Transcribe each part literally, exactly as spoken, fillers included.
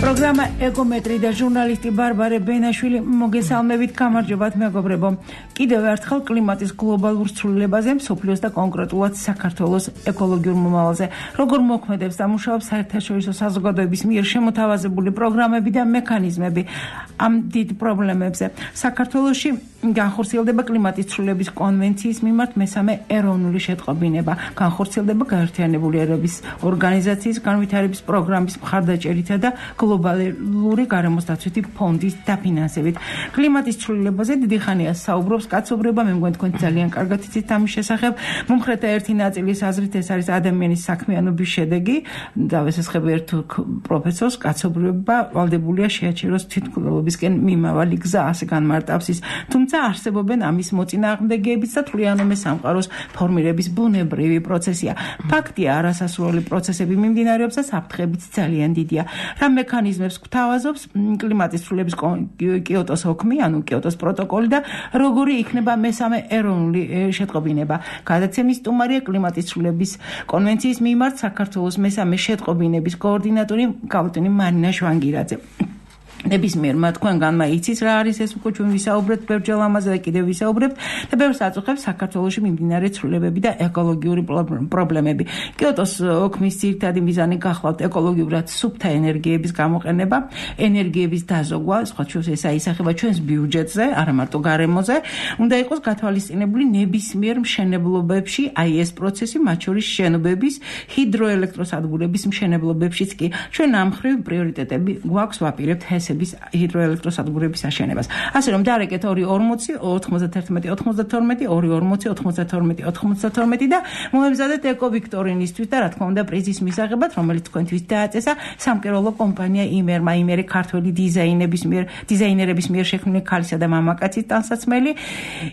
პროგრამა ეკომეტრი და ჟურნალისტი ბარბარე ბენაშვილი მოგესალმებით, გამარჯობათ მეგობრებო. კიდევ ერთხელ კლიმატის გლობალურ ცვლილებაზე, მსოფლიოს და კონკრეტულად საქართველოს ეკოლოგიურ მომავალზე, როგორ მოქმედებს და მუშაობს საერთაშორისო საზოგადოების მიერ შემოთავაზებული პროგრამები და მექანიზმები ამ დიდ პრობლემებზე. საქართველოში განხორციელდება კლიმატის ცვლილების კონვენციის მიმართ მესამე ეროვნული შეტყობინება. განხორციელდება გაერთიანებული ერების ორგანიზაციის განვითარების პროგრამის მხარდაჭერითა და გლობალური გარემოსდაცვითი ფონდის დაფინანსებით. კლიმატის ცვლილებაზე დიდი ხანია საუბრობს კაცობრიობა, მე მგონი თქვენ ძალიან კარგად იცით ამის შესახებ. მომხრეთა ერთი ნაწილის აზრით ეს არის ადამიანის საქმიანობის შედეგი. დავესესხები ერთ პროფესორს, კაცობრიობა ვალდებულია შეაჩეროს თვითმკვლელობისკენ მიმავალი გზა, ასე განმარტავს ის. თუმცა არსებობენ ამის მოწინააღმდეგეებიც და თვლიანome სამყაროს ფორმირების ბუნებრივი პროცესია. ფაქტია, არასასურველი პროცესები მიმდინარეობს და საფრთხებიც ძალიან დიდია. რა მექანიზმებს გვთავაზობს კლიმატის ცვლილების კიოტოს ოქმი, ანუ კიოტოს პროტოკოლი და როგორი იქნება მესამე ეროვნული შეტყობინება. გადაცემის სტუმარია კლიმატის ცვლილების კონვენციის მიმართ საქართველოს მესამე შეტყობინების კოორდინატორი კალტინი მარინა შვანგირაძე. ნებისმიერმა თქვენგანმა იცის რა არის ეს, უკვე ჩვენ ვისაუბრეთ ბევრჯერ ამაზე და კიდევ ვისაუბრებთ და ბევრს აწუხებს საქართველოში მიმდინარე ცვლილებები და ეკოლოგიური პრობლემები. კიოტოს ოქმის ძირითადი მიზანი გახლავთ ეკოლოგიურად სუფთა ენერგიების გამოყენება, ენერგიების დაზოგვა, სხვა შორის ეს აისახება ჩვენს ბიუჯეტზე, არა მარტო გარემოზე. უნდა იყოს გათვალისწინებული ნებისმიერ მშენებლობებში აი ეს პროცესი, მათ შორის შენობების, ჰიდროელექტროსადგურების მშენებლობებშიც კი. ჩვენ ამ მხრივ პრიორიტეტები გვაქვს, ვაპირებთ ჰიდროელექტროსადგურების აშენებას. ასე რომ დარეკეთ ორი ორმოცი ოთხმოცდაერთმეტი ოცდათორმეტი ორი ორმოცი ოცდათორმეტი ოცდათორმეტი და მოემზადეთ ეკოვიქტორინისთვის და რა თქმა უნდა პრიზის მისაღებად, რომელიც თქვენთვის დააწესა სამკეროლო კომპანია იმერმა, იმერი ქართველი დიზაინების მიერ, დიზაინერების მიერ შექმნილი ქალისა და მამაკაცის ტანსაცმელი.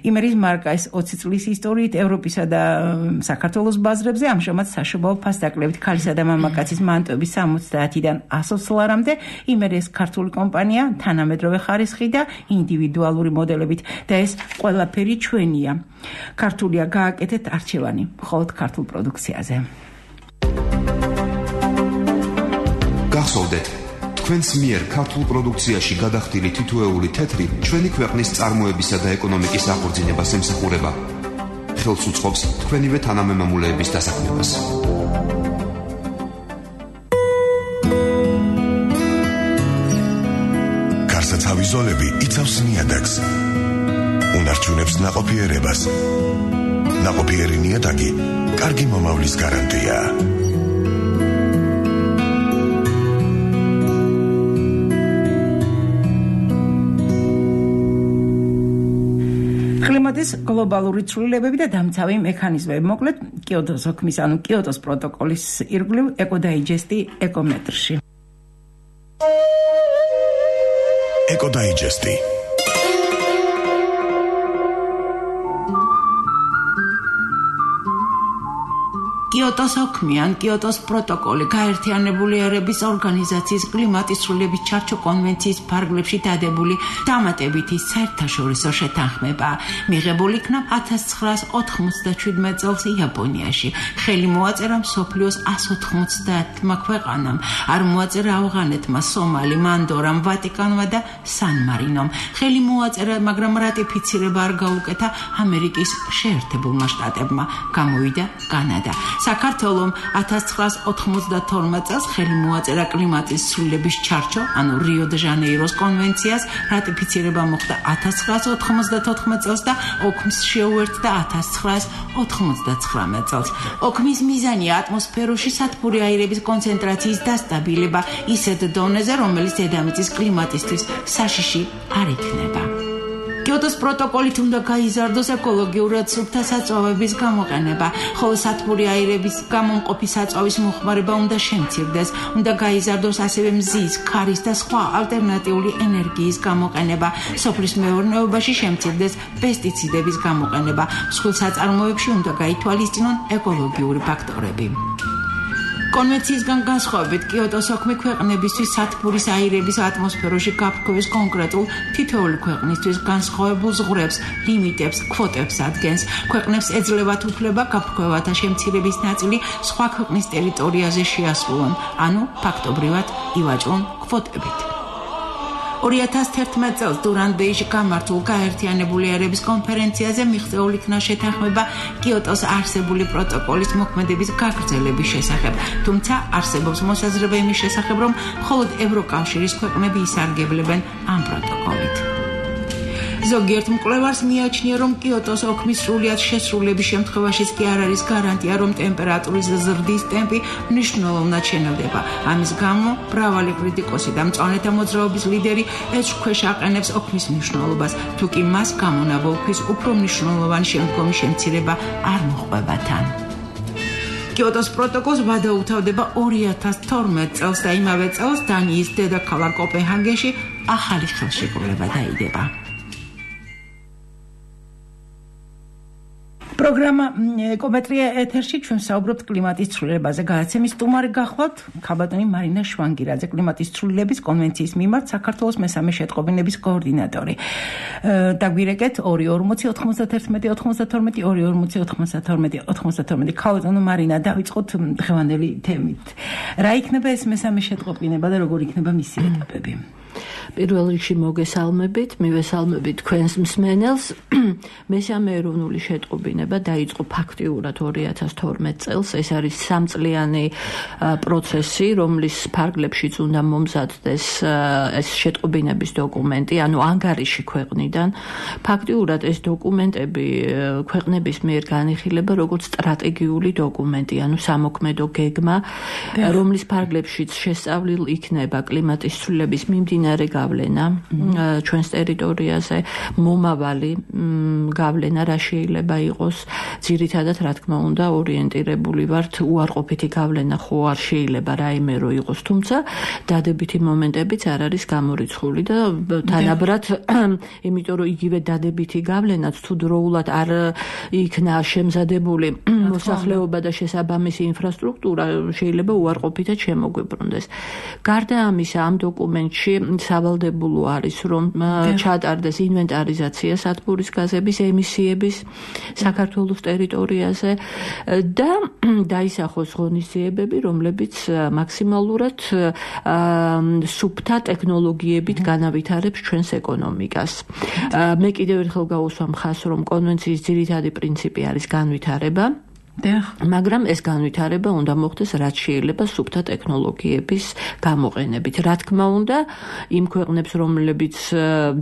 იმერის მარკა ეს ოცი წლის ისტორიით ევროპისა და საქართველოს ბაზრებზე, ამჟამად საშობაო ფასდაკლებით ქალისა და მამაკაცის მანტოების სამოცდაათიდან ასოცს ლარამდე. იმერი ეს ქართული კომპანია, თანამედროვე ხარისხი და ინდივიდუალური მოდელებით და ეს ყველაფერი ჩვენია. ქართულია გააკეთეთ არჩევანი მხოლოდ ქართულ პროდუქციაზე. გახსოვდეთ, თქვენს მიერ ქართულ პროდუქციაში გადახდილი თითოეული თეთრი ჩვენი ქვეყნის წარმოებისა და ეკონომიკის აღორძინებას ემსახურება. ხელს უწყობს თქვენივე თანამემამულეების დასაქმებას. თავი ზოლები იცავს ნიადაგს, უნარჩუნებს ნაყოფიერებას. ნაყოფიერი ნიადაგი კარგი მომავლის გარანტია. კლიმატის გლობალური ცვლილებები და დამცავი მექანიზმები. მოკლედ, კიოტოს ოქმის, ანუ კიოტოს პროტოკოლის ირგვლივ ეკოდაიჯესტი ეკომეტრში. ეკოდაიჯესტი. კიოტოს ოქმი ან კიოტოს პროტოკოლი გაერთიანებული ერების ორგანიზაციის კლიმატის ცვლილების ჩარჩო კონვენციის ფარგლებში დადებული დამატებითი საერთაშორისო შეთანხმება. მიღებული იქნა ათას ცხრაას ოთხმოცდაშვიდმეტ წელს იაპონიაში. ხელი მოაწერა მსოფლიოს ას ოთხმოცდაათმა ქვეყანამ. არ მოაწერა ავღანეთმა, სომალიმ, ანდორამ, ვატიკანმა და სან-მარინომ. ხელი მოაწერა, მაგრამ რატიფიცირება არ გაუკეთა ამერიკის შეერთებულმა შტატებმა. გამოვიდა კანადა. საქართველომ ათას ცხრაას ოთხმოცდათორმეტ წელს ხელი მოაწერა კლიმატის ცვლილების ჩარჩო, ანუ რიო-დე-ჟანეიროს კონვენციას, რატიფიცირება მოხდა ათას ცხრაას ოთხმოცდათოთხმეტ წელს და ოქმს შეუერთდა ათას ცხრაას ოთხმოცდაცხრამეტ წელს. ოქმის მიზანია ატმოსფეროში სათბური აირების კონცენტრაციის დასტაბილება ისეთ დონეზე, რომელიც დედამიწის კლიმატისთვის საშიში არ იქნება. კიოტოს პროტოკოლით უნდა გაიზარდოს ეკოლოგიურად სუფთა საწვავების გამოყენება, ხოლო სათბური აირების გამომყოფი საწვავის მოხმარება უნდა შემცირდეს, უნდა გაიზარდოს ასევე მზის, ქარის და სხვა ალტერნატიული ენერგიის გამოყენება, სოფლის მეურნეობაში შემცირდეს პესტიციდების გამოყენება, მსხვილ საწარმოებში უნდა გაითვალისწინონ ეკოლოგიური ფაქტორები. კონვენციისგან განსხვავებით, კიოტოს ოქმი ქვეყნებისთვის სათბურის აირების ატმოსფეროში გაფრქვევის კონკრეტულ თითოეული ქვეყნისთვის განსხვავებულ ზღვრებს, ლიმიტებს, კვოტებს ადგენს. ქვეყნებს ეძლევათ უფლება გაფრქვევათა შემცირების ნაწილი სხვა ქვეყნის ტერიტორიაზე შეასრულონ, ანუ ფაქტობრივად ივაჭრონ კვოტებით. ორი ათას თერთმეტ წელს დურან-ბეიჟში გამართულ გაერთიანებული ერების კონფერენციაზე მიღწეული იქნა შეთანხმება კიოტოს არსებული პროტოკოლის მოქმედების გაგრძელების შესახებ, თუმცა არსებობს მოსაზრება იმის შესახებ, რომ მხოლოდ ევროკავშირის ქვეყნები ისარგებლებენ ამ პროტოკოლით. ზოგიერთ მკვლევარს მიაჩნია, რომ კიოტოს ოქმის სრულიად შესრულების შემთხვევაშიც კი არ არის გარანტია, რომ ტემპერატურის ზრდის ტემპი მნიშვნელოვნად შენელდება. ამის გამო მრავალი კრიტიკოსი და მწვანეთა მოძრაობის ლიდერი ეჭვქვეშ აყენებს ოქმის მნიშვნელობას, თუ კი მას გამონაბოლქვის უფრო მნიშვნელოვანი შემდგომი შემცირება არ მოჰყვება თან. კიოტოს პროტოკოლს ვადაუთავდება ორი ათას თორმეტ წელს და იმავე წელს დანიის დედაქალაქ კოპენჰაგენში ახალი ხელშეკრულება დაიდება. პროგრამა ეკომეტრია ეთერში ჩვენ საუბრობთ კლიმატის ცვლილებაზე. გადაცემის სტუმარი გახლავთ ქაბატონი მარინა შვანგირაძე, კლიმატის ცვლილების კონვენციის მიმართ საქართველოს მესამე შეტყობინების კოორდინატორი. დაგვირეკეთ ორი ორმოცი ოთხმოცდათერთმეტი ოთხმოცდათორმეტი ორი ორმოცი ოთხმოცდათორმეტი ოთხმოცდათორმეტი. ქაბატონო მარინა, დავიწყოთ დღევანდელი თემით. რა იქნება ეს მესამე შეტყობინება და როგორ იქნება მისი ეტაპები? პირველ რიგში მოგესალმებით, მივესალმებით თქვენს მსმენელს. მესამე ეროვნული შეტყობინება დაიწყო ფაქტიურად ორი ათას თორმეტ წელს. ეს არის სამწლიანი პროცესი, რომლის ფარგლებშიც უნდა მომზადდეს ეს შეტყობინების დოკუმენტი, ანუ ანგარიში ქვეყნიდან. ფაქტიურად ეს დოკუმენტები ქვეყნების მიერ განიხილება როგორც სტრატეგიული დოკუმენტი, ანუ სამოქმედო გეგმა, რომლის ფარგლებშიც შესწავლილ იქნება კლიმატის ცვლილების მიმდინარე გავლენა ჩვენს ტერიტორიაზე, მომავალი გავლენა რა შეიძლება იყოს. ძირითადად, რა თქმა უნდა, ორიენტირებული ვართ უარყოფითი გავლენა ხო არ შეიძლება რაიმე რო იყოს, თუმცა დადებითი მომენტებიც არ არის გამორიცხული და თანაბრად, იმიტომ რომ იგივე დადებითი გავლენაც თუ დროულად არ იქნა შემზადებული მოსახლეობა და შესაბამისი ინფრასტრუქტურა, შეიძლება უარყოფითად შემოგვიბრუნდეს. გარდა ამისა, ამ დოკუმენტში სავალდებულო არის, რომ ჩატარდეს ინვენტარიზაცია სათბურის გაზების ემისიების საქართველოს ტერიტორიაზე და დაისახოს ღონისძიებები, რომლებიც მაქსიმალურად სუფთა ტექნოლოგიებით განავითარებს ჩვენს ეკონომიკას. მე კიდევ ერთხელ გავუსვამ ხაზს, რომ კონვენციის ძირითადი პრინციპი არის განვითარება. მაგრამ ეს განვითარება უნდა მოხდეს რაც შეიძლება სუფთა ტექნოლოგიების გამოყენებით. რა თქმა უნდა, იმ ქვეყნებს, რომლებიც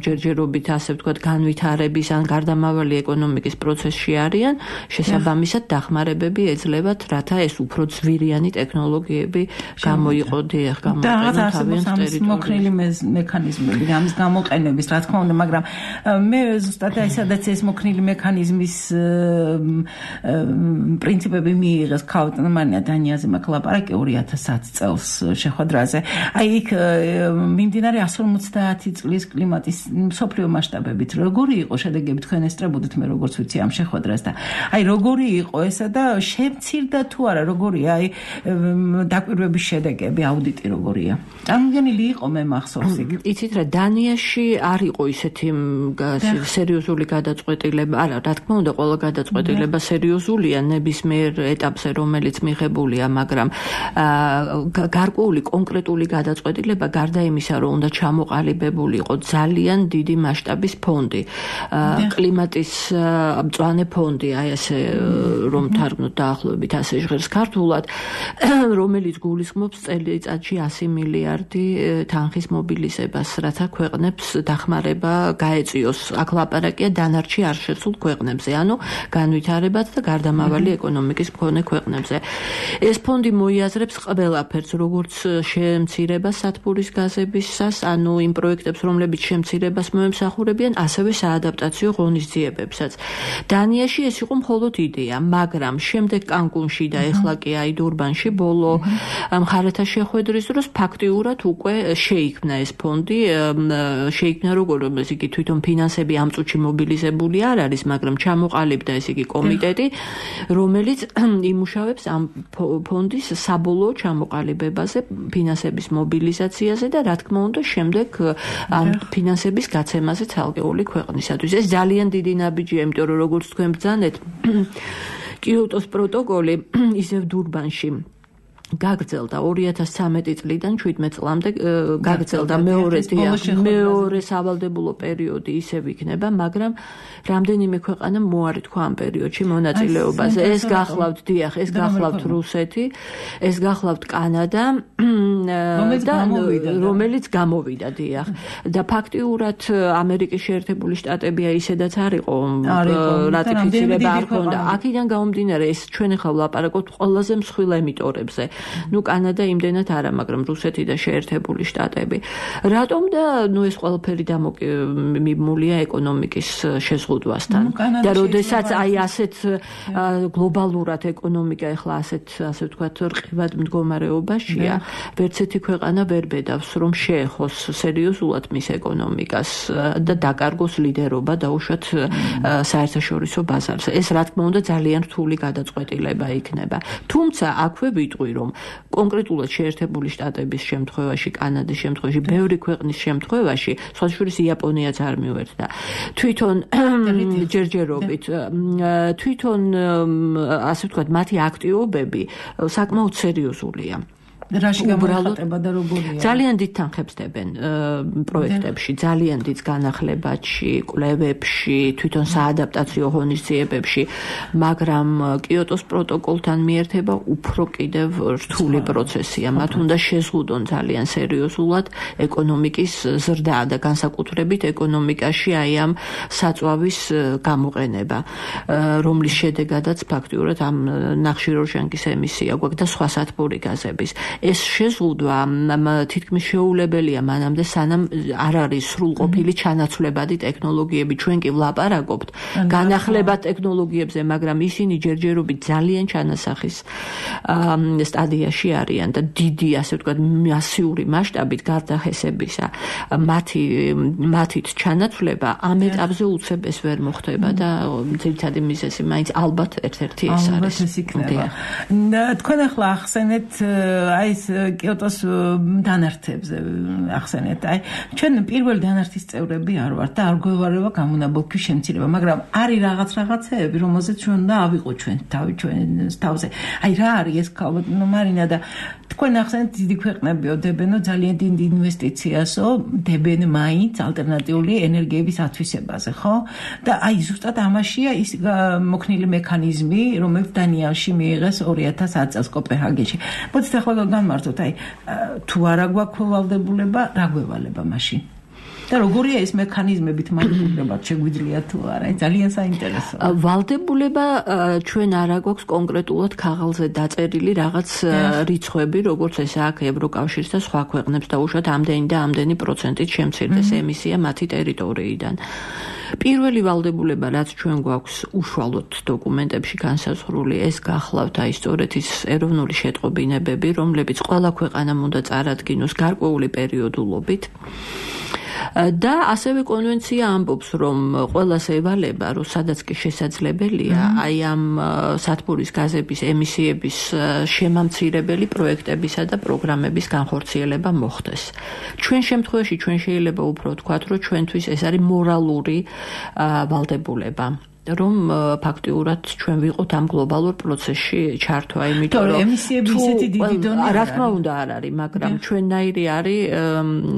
ჯერჯერობით, ასე ვთქვათ, განვითარების ან გარდამავალი ეკონომიკის პროცესში არიან, შესაბამისად დახმარებები ეძლევათ, რათა ეს უფრო ძვირიანი ტექნოლოგიები გამოიყო, დიახ, გამოიყენონ თავიანთ ტერიტორიაზე. მოქნილი მექანიზმები ამის გამოყენების, რა თქმა უნდა, მაგრამ მე ზუსტად ესადაც ეს მოქნილი მექანიზმის პრინციპები მიიღეს ქავტონ მარინა დანიაზე მაქვს ლაპარაკი ორი ათას ათი წელს შეხვედრაზე. აი იქ მიმდინარე εκατს ორმოცდაათი წლის კლიმატის მსოფლიო მასშტაბებით როგორი იყო შედეგები, თქვენ ესწრებოდით, მე როგორც ვიცი ამ შეხვედრას და აი როგორი იყო ესა და შემცირდა თუ არა, როგორია აი დაკვირვების შედეგები, აუდიტი როგორია? წარმოგვიდგენილი იყო, მე მახსოვს იქ. იცით რა, დანიაში არ იყო ისეთი სერიოზული გადაწყვეტილება, არა, რა თქმა უნდა, ყველა გადაწყვეტილება სერიოზულია ნებისმიერ ეტაპზე, რომელიც მიღებულია, მაგრამ გარკვეული კონკრეტული გადაწყვეტილება გარდა იმისა, რომ უნდა ჩამოყალიბებული იყო ძალიან დიდი მასშტაბის ფონდი, კლიმატის მწვანე ფონდი, აი ესე რომ თარგმნოთ დაახლოებით ასე ჟღერს ქართულად, რომელიც გულისხმობს წელიწადში ასი მილიარდი თანხის მობილიზებას, რათა ქვეყნებს დახმარება გაეწიოს. აქ ლაპარაკია დანარჩი არ შესულ ქვეყნებზე, ანუ განვითარებად და გარდამავალი ეკონომიკის მქონე ქვეყნებზე. ეს ფონდი მოიაზრებს ყველაფერს, როგორც შემცირებას სათბურის გაზებისას, ანუ იმ პროექტებს, რომლებიც შემცირებას მოემსახურებიან, ასევე საადაპტაციო ღონისძიებებსაც. დანიაში ეს იყო მხოლოდ იდეა, მაგრამ შემდეგ კანკუნში და ეხლა კი აი დურბანში ბოლო მხარეთა შეხვედრის დროს ფაქტიურად უკვე შეიქმნა ეს ფონდი, შეიქმნა როგორ ეს იგი თვითონ ფინანსები ამ წუთში მობილიზებული არ არის, მაგრამ ჩამოყალიბდა ეს იგი კომიტეტი, რომ რომელიც იმუშავებს ამ ფონდის საბოლოო ჩამოყალიბებაზე, ფინანსების მობილიზაციაზე და რა თქმა უნდა შემდეგ ამ ფინანსების გაცემაზე ცალკეული ქვეყნისათვის. ეს ძალიან დიდი ნაბიჯია, იმიტომ რომ როგორც თქვენ ბრძანეთ, კიოტოს პროტოკოლი ისევ დურბანში გაგრძელდა ორი ათას ცხრამეტი წლიდან შვიდმეტ წლამდე გაგრძელდა მეორე მეორე სავალდებულო პერიოდი ისევ იქნება, მაგრამ რამდენიმე ქვეყანა მოარი თქვა ამ პერიოდში მონაწილეობაზე. ეს გახლავთ დიახ, ეს გახლავთ რუსეთი, ეს გახლავთ კანადა და რომელიც გამოვიდა დიახ. და ფაქტიურად ამერიკის შეერთებული შტატები ისედაც არ იყო რატიფიცირება არ ქონდა. აქედან გამომდინარე ეს ჩვენ ახლა ვლაპარაკობთ ყველაზე მსხვილ ემიტორებზე. ნუ კანადა იმდენად არა, მაგრამ რუსეთი და შეერთებული შტატები. რატომ და ნუ ეს ყველაფერი დამოკიდებულია ეკონომიკის შეზღუდვასთან. და როდესაც აი ასეთ გლობალურად ეკონომიკა ახლა ასეთ ასე ვთქვათ რყევად მდგომარეობაშია, ვერც ერთი ქვეყანა ვერ ბედავს, რომ შეეხოს სერიოზულად მის ეკონომიკას და დაკარგოს ლიდერობა დაუშვათ საერთაშორისო ბაზარზე. ეს რა თქმა უნდა ძალიან რთული გადაწყვეტილება იქნება. თუმცა აქვე ვიტყვი, რომ კონკრეტულად შეერთებული შტატების შემთხვევაში, კანადის შემთხვევაში, ბევრი ქვეყნის შემთხვევაში, სხვა შორის იაპონიაც არ მივერთდა. თვითონ ჯერჯერობით, თვითონ ასე ვთქვათ, მათი აქტივობები საკმაოდ სერიოზულია. რაში გამოიხატება და როგორია? ძალიან დიდ თანხებს დებენ პროექტებში, ძალიან დიდ განახლებაში, კვლევებში, თვითონ საადაპტაციო ღონისძიებებში, მაგრამ კიოტოს პროტოკოლთან მიერთება უფრო კიდევ რთული პროცესია. მათ უნდა შეზღუდონ ძალიან სერიოზულად ეკონომიკის ზრდა და განსაკუთრებით ეკონომიკაში აი ამ საწვავის გამოყენება, რომლის შედეგადაც ფაქტიურად ამ ნახშირორჟანგის ემისია გვაქვს და სხვა სათბური გაზების. ეს შეზღუდვა თითქმის შეუულებელია მანამდე, სანამ არ არის სრულყოფილი ჩანაცვლებადი ტექნოლოგიები. ჩვენ კი ვლაპარაკობთ განახლებად ტექნოლოგიებზე, მაგრამ ისინი ჯერჯერობით ძალიან ჩანასახის სტადიაში არიან და დიდი, ასე ვთქვათ, მასიური მასშტაბით გარდახესებისა მათი მათით ჩანაცვლება ამ ეტაპზე უცებ ეს ვერ მოხდება და ძირითადი მიზეზი მაინც ალბათ ერთ-ერთი ეს არის. ალბათ ეს იქნება. თქვენ ახლა ახსენეთ აი ეს კიოტოს დანართებზე ახსენეთ. აი ჩვენ პირველი დანართის წევრები არ ვართ და არ გვევარება გამონაბოლქვის შემცირება, მაგრამ არის რაღაც რაღაცეები, რომელზეც ჩვენ უნდა ავიღოთ ჩვენ თავი ჩვენ თავზე. აი რა არის ეს ალბათ მარინა და თქვენ ახსენეთ დიდი ქვეყნებიო დებენო ძალიან დიდ ინვესტიციასო დებენ მაინც ალტერნატიული ენერგიების ათვისებაზე, ხო? და აი ზუსტად ამაშია ის მოქნილი მექანიზმი, რომელიც დანიაში მიიღეს ორი ათას ათი წელს კოპენჰაგენში. მოდით ახლა განმარტოთ, აი თუ არა გვაქვს ვალდებულება, რა გვევალება მაშინ? და როგორია ეს მექანიზმებით მანიპულირება შეგვიძლია თუ არა? ძალიან საინტერესოა. ვალდებულება ჩვენ არა გვაქვს კონკრეტულად ქაღალზე დაწერილი რაღაც რიცხვები, როგორც ეს აქ ევროკავშირს და სხვა ქვეყნებს დაუშვათ ამდენი და ამდენი პროცენტით შემცირდეს ემისია მათი ტერიტორიიდან. პირველი ვალდებულება, რაც ჩვენ გვაქვს უშუალოდ დოკუმენტებში განსაზღვრული, ეს გახლავთ აი სწორედ ის ეროვნული შეტყობინებები, რომლებიც ყველა ქვეყანამ უნდა წარადგინოს გარკვეული პერიოდულობით. და ასევე კონვენცია ამბობს, რომ ყველას ევალება, რომ სადაც კი შესაძლებელია, აი ამ სათბურის გაზების ემისიების შემამცირებელი პროექტებისა და პროგრამების განხორციელება მოხდეს. ჩვენ შემთხვევაში ჩვენ შეიძლება უფრო ვთქვათ, რომ ჩვენთვის ეს არის მორალური ვალდებულება. რომ ფაქტიურად ჩვენ ვიყოთ ამ გლობალურ პროცესში ჩართვა, იმიტომ რომ ემისიები ისეთი დიდი დონე რა თქმა უნდა არ არის, მაგრამ ჩვენნაირი არის,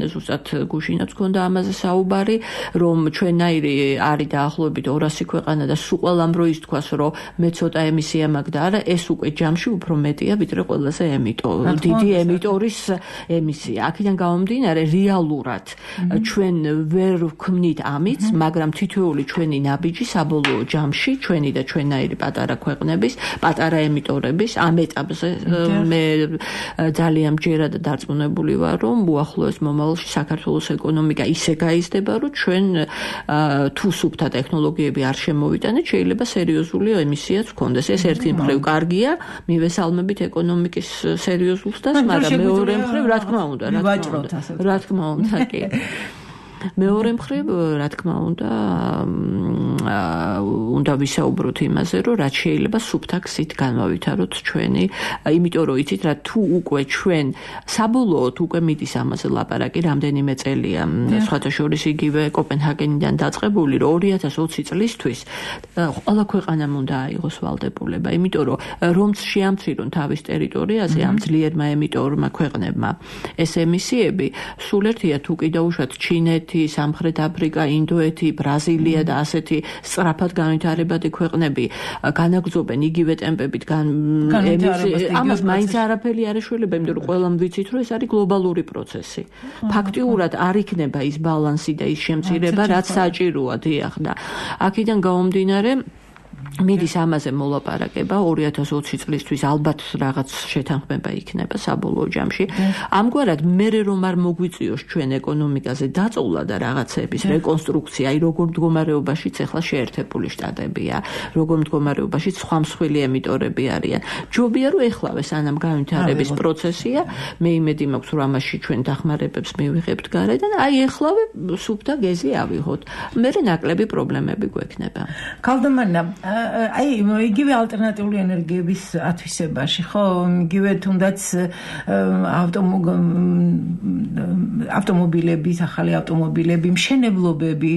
ზუსტად გუშინაც გქონდა ამაზე საუბარი, რომ ჩვენნაირი არის დაახლოებით ორასი ქვეყანა და სულ ყველამ რო ის თქვას, რომ მე ცოტა ემისია მაქვს და არა, ეს უკვე ჯამში უფრო მეტია, ვიდრე ყველაზე ემიტორი, დიდი ემიტორის ემისია. აქედან გამომდინარე, რეალურად ჩვენ ვერ ვქმნით ამით, მაგრამ თითოეული ჩვენი ნაბიჯი საბოლოო ჯამში ჩვენი და ჩვენაირი პატარა ქვეყნების, პატარა ემიტორების ამ ეტაპზე მე ძალიან მჯერა და დარწმუნებული ვარ, რომ უახლოეს მომავალში საქართველოს ეკონომიკა ისე გაიზრდება, რომ ჩვენ თუ სუფთა ტექნოლოგიები არ შემოვიტანეთ, შეიძლება სერიოზული ემისიაც გქონდეს. ეს ერთი მხრივ კარგია, მივესალმებით ეკონომიკის სერიოზულს და მაგრამ მეორე მხრივ რა თქმა უნდა, რა თქმა უნდა, რა თქმა უნდა, კი. მეორე მხრივ, რა თქმა უნდა, უნდა ვისაუბროთ იმაზე, რომ რაც შეიძლება სუფთა გზით განვავითაროთ ჩვენი, იმიტომ რომ იცით რა, თუ უკვე ჩვენ საბოლოოდ უკვე მიდის ამაზე ლაპარაკი, რამდენიმე წელია, სხვათა შორის იგივე კოპენჰაგენიდან დაწყებული, რომ ორი ათას ოცი წლისთვის ყველა ქვეყანამ უნდა აიღოს ვალდებულება, იმიტომ რომ რომც შეამცირონ თავის ტერიტორიაზე ამ ძლიერმა ემიტორმა ქვეყნებმა ეს ემისიები, სულ ერთია თუ კიდევ უშუალოდ ჩინეთი, სამხრეთ აფრიკა, ინდოეთი, ბრაზილია და ასეთი სწრაფად განვითარებადი ქვეყნები განაგრძობენ იგივე ტემპებით ამას მაინც არაფერი არ ეშველება, იმიტომ რომ ყველამ ვიცით, რომ ეს არის გლობალური პროცესი. ფაქტიურად არ იქნება ის ბალანსი და ის შემცირება, რაც საჭიროა, დიახ და აქედან გამომდინარე მიდის ამაზე მოლაპარაკება ორი ათას ოცი წლისთვის ალბათ რაღაც შეთანხმება იქნება საბოლოო ჯამში. ამგვარად მერე რომ არ მოგვიწიოს ჩვენ ეკონომიკაზე დაწოვლა და რაღაცების რეკონსტრუქცია, აი როგორ მდგომარეობაშიც ახლა შეერთებული შტატებია, როგორ მდგომარეობაში სხვა მსხვილი ემიტორები არიან. ჯობია რომ ეხლავე სანამ განვითარების პროცესია, მე იმედი მაქვს რომ ამაში ჩვენ დახმარებებს მივიღებთ გარედან, აი ეხლავე სუფთა გეზი ავიღოთ. მერე ნაკლები პრობლემები გვექნება. ქალდამანა აი იგივე ალტერნატიული ენერგიების ათვისებაში, ხო, იგივე თუნდაც ავტომობილების, ახალი ავტომობილები, მშენებლობები,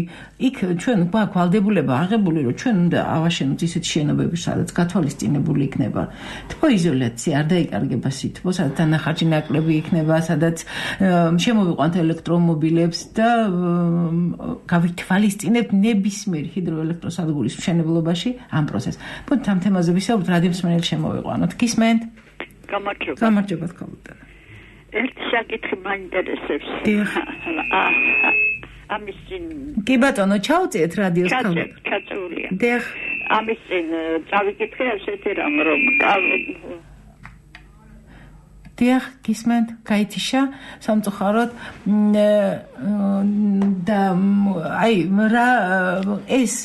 იქ ჩვენ გვაქვს ვალდებულება აღებული, რომ ჩვენ უნდა ავაშენოთ ისეთ შენობები, სადაც გათვალისწინებული იქნება თბოიზოლაცია, არ დაიკარგება სითბო, სადაც დანახარჯი ნაკლები იქნება, სადაც შემოვიყვანთ ელექტრომობილებს და გავითვალისწინებთ ნებისმიერ ჰიდროელექტროსადგურის მშენებლობაში ამ პროცესს. ბუნთ ამ თემაზე ვისაუბროთ, რადიომსმენელი შემოვიყვანოთ. გისმენთ? გამარჯობა. გამარჯობა თქო. ერთი საკითხი მაინტერესებს. ამის წინ კი ბატონო, ჩაუწიეთ რადიოს კამერა. ჩაწეულია. დიახ. ამის წინ წავიკითხე ასეთი რამ, რომ დიახ, გისმენთ, გაითიშა სამწუხაროდ და აი რა ეს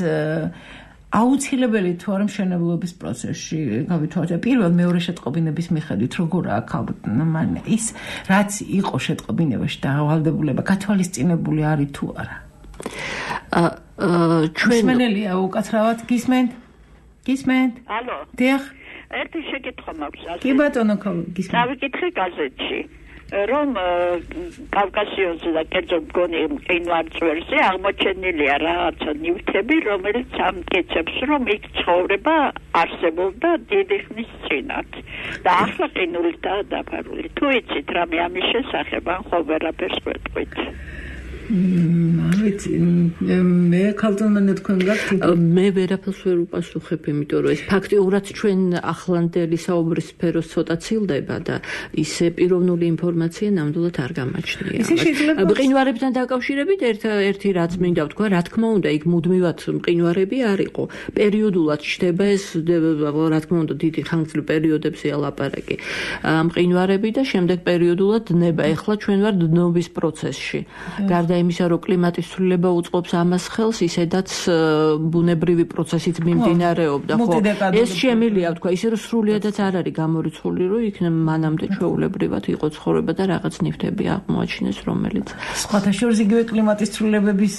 აუცილებელი თუ არა მშენებლობის პროცესში გავითვალისწინეთ. პირველ მეორე შეტყობინების მიხედვით როგორაა ქალბატონ ის რაც იყო შეტყობინებაში დავალდებულება გათვალისწინებული არის თუ არა? ჩვენ მენელია უკაცრავად გისმენთ? გისმენთ? ალო. დიახ. ერთი შეკითხვა მაქვს. კი ბატონო, გისმენთ. დავიკითხე გაზეთში, რომ კავკასიონზე და კერძოდ მგონი მყინვარწვერზე აღმოჩენილია რაღაცა ნივთები, რომელიც ამტკიცებს, რომ იქ ცხოვრება არსებობდა დიდი ხნის წინათ და ახლა ყინულითაა დაფარული. თუ იცით რამე ამის შესახებ, ან ხო ვერაფერს ვეტყვით? ვიცი, მე ქალწონმანე თქვენ გაქვთ? მე ვერაფერს ვერ უპასუხებ, იმიტომ რომ ეს ფაქტიურად ჩვენ ახლანდელი საუბრის სფეროს ცოტა ცილდება და ისე პიროვნული ინფორმაცია ნამდვილად არ გამაჩნია. მყინვარებთან დაკავშირებით ერთ-ერთი რაც მინდა ვთქვა, რა თქმა უნდა, იქ მუდმივად მყინვარები არ იყო. პერიოდულად ჩდება ეს, რა თქმა უნდა, დიდი ხანგრძლივ პერიოდებზეა ლაპარაკი. მყინვარები და შემდეგ პერიოდულად ნება. ეხლა ჩვენ ვართ დნობის პროცესში. გარდა იმისა, რომ კლიმატის ცვლილება უწყობს ამას ხელს, ისედაც ბუნებრივი პროცესით მიმდინარეობდა, ხო? ეს შემილია, ვთქვა, ისე რომ სრულიადაც არ არის გამორიცხული, რომ იქ მანამდე ჩვეულებრივად იყო ცხოვრება და რაღაც ნივთები აღმოაჩინეს, რომელიც სხვათა შორის იგივე კლიმატის ცვლილებების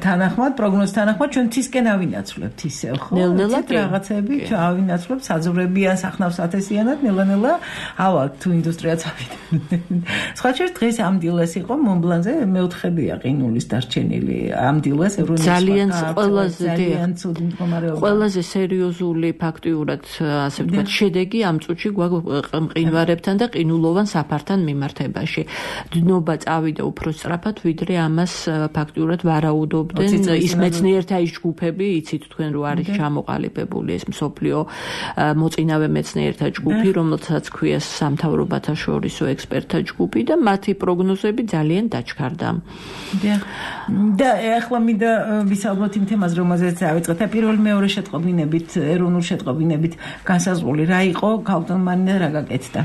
თანახმად, პროგნოზ თანახმად ჩვენ თისკენ ავინაცვლებთ ისევ, ხო? ნელ-ნელა რაღაცები ავინაცვლებთ, საძოვრებიან, სახნავს ათესიანად, ნელა-ნელა ავალთ თუ ინდუსტრიაც ავიდნენ. სხვათა შორის დღეს ამ დილას იყო მომბლანზე მეოთხედია ყინულის დარჩენილი ამ დილას ევროპის ძალიან ყველაზე ძალიან ცუდი მდგომარეობა. ყველაზე სერიოზული ფაქტიურად ასე ვთქვათ შედეგი ამ წუთში გვაქვს მყინვარებთან და ყინულოვან საფართან მიმართებაში. დნობა წავიდა უფრო სწრაფად, ვიდრე ამას ფაქტიურად ვარაუდობდნენ ის მეცნიერთა ის ჯგუფები, იცით თქვენ რომ არის ჩამოყალიბებული ეს მსოფლიო მოწინავე მეცნიერთა ჯგუფი, რომელსაც ქვია სამთავრობათა შორისო ექსპერტთა ჯგუფი და მათი პროგნოზები ძალიან დაჩქარდა. და ახლა მინდა ვისაუბროთ იმ თემაზე, რომელზეც დავიწყეთ. პირველი მეორე შეტყობინებით, ეროვნულ შეტყობინებით განსაზღვრული რა იყო, ქალბატონმა რა გაკეთდა?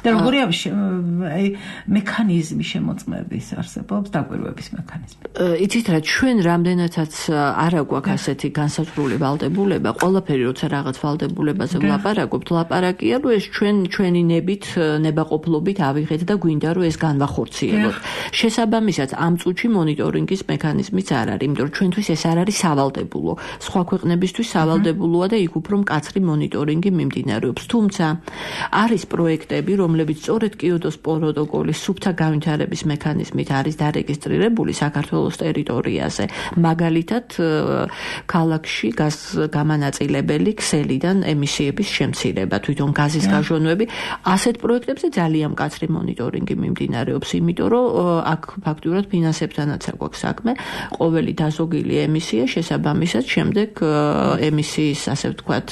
და როგორი აი მექანიზმი შემოწმების არსებობს, დაკვირვების მექანიზმი. იცით რა, ჩვენ რამდენადაც არ აგვაქვს ასეთი განსაზღვრული ვალდებულება, ყველაფერი როცა რაღაც ვალდებულებაზე ვლაპარაკობთ, ლაპარაკია, რომ ეს ჩვენ ჩვენი ნებით, ნებაყოფლობით ავიღეთ და გვინდა რომ ეს განვახორციელოთ. შესაბამისად ამ წუთში მონიტორინგის მექანიზმიც არ არის, იმიტომ რომ ჩვენთვის ეს არ არის სავალდებულო. სხვა ქვეყნებისთვის სავალდებულოა და იქ უფრო მკაცრი მონიტორინგი მიმდინარეობს. თუმცა არის პროექტები, რომლებიც სწორედ კიოტოს პროტოკოლის სუფთა განვითარების მექანიზმით არის დარეგისტრირებული საქართველოს ტერიტორიაზე. მაგალითად, ქალაქში გამანაწილებელი ქსელიდან ემისიების შემცირება, თვითონ გაზის გაჟონვები, ასეთ პროექტებზე ძალიან მკაცრი მონიტორინგი მიმდინარეობს, იმიტომ რომ აქ ფაქტურად ფინანსებთანაც აქვს საქმე, ყოველი დაზოგილი ემისია შესაბამისად შემდეგ ემისიის, ასე ვთქვათ,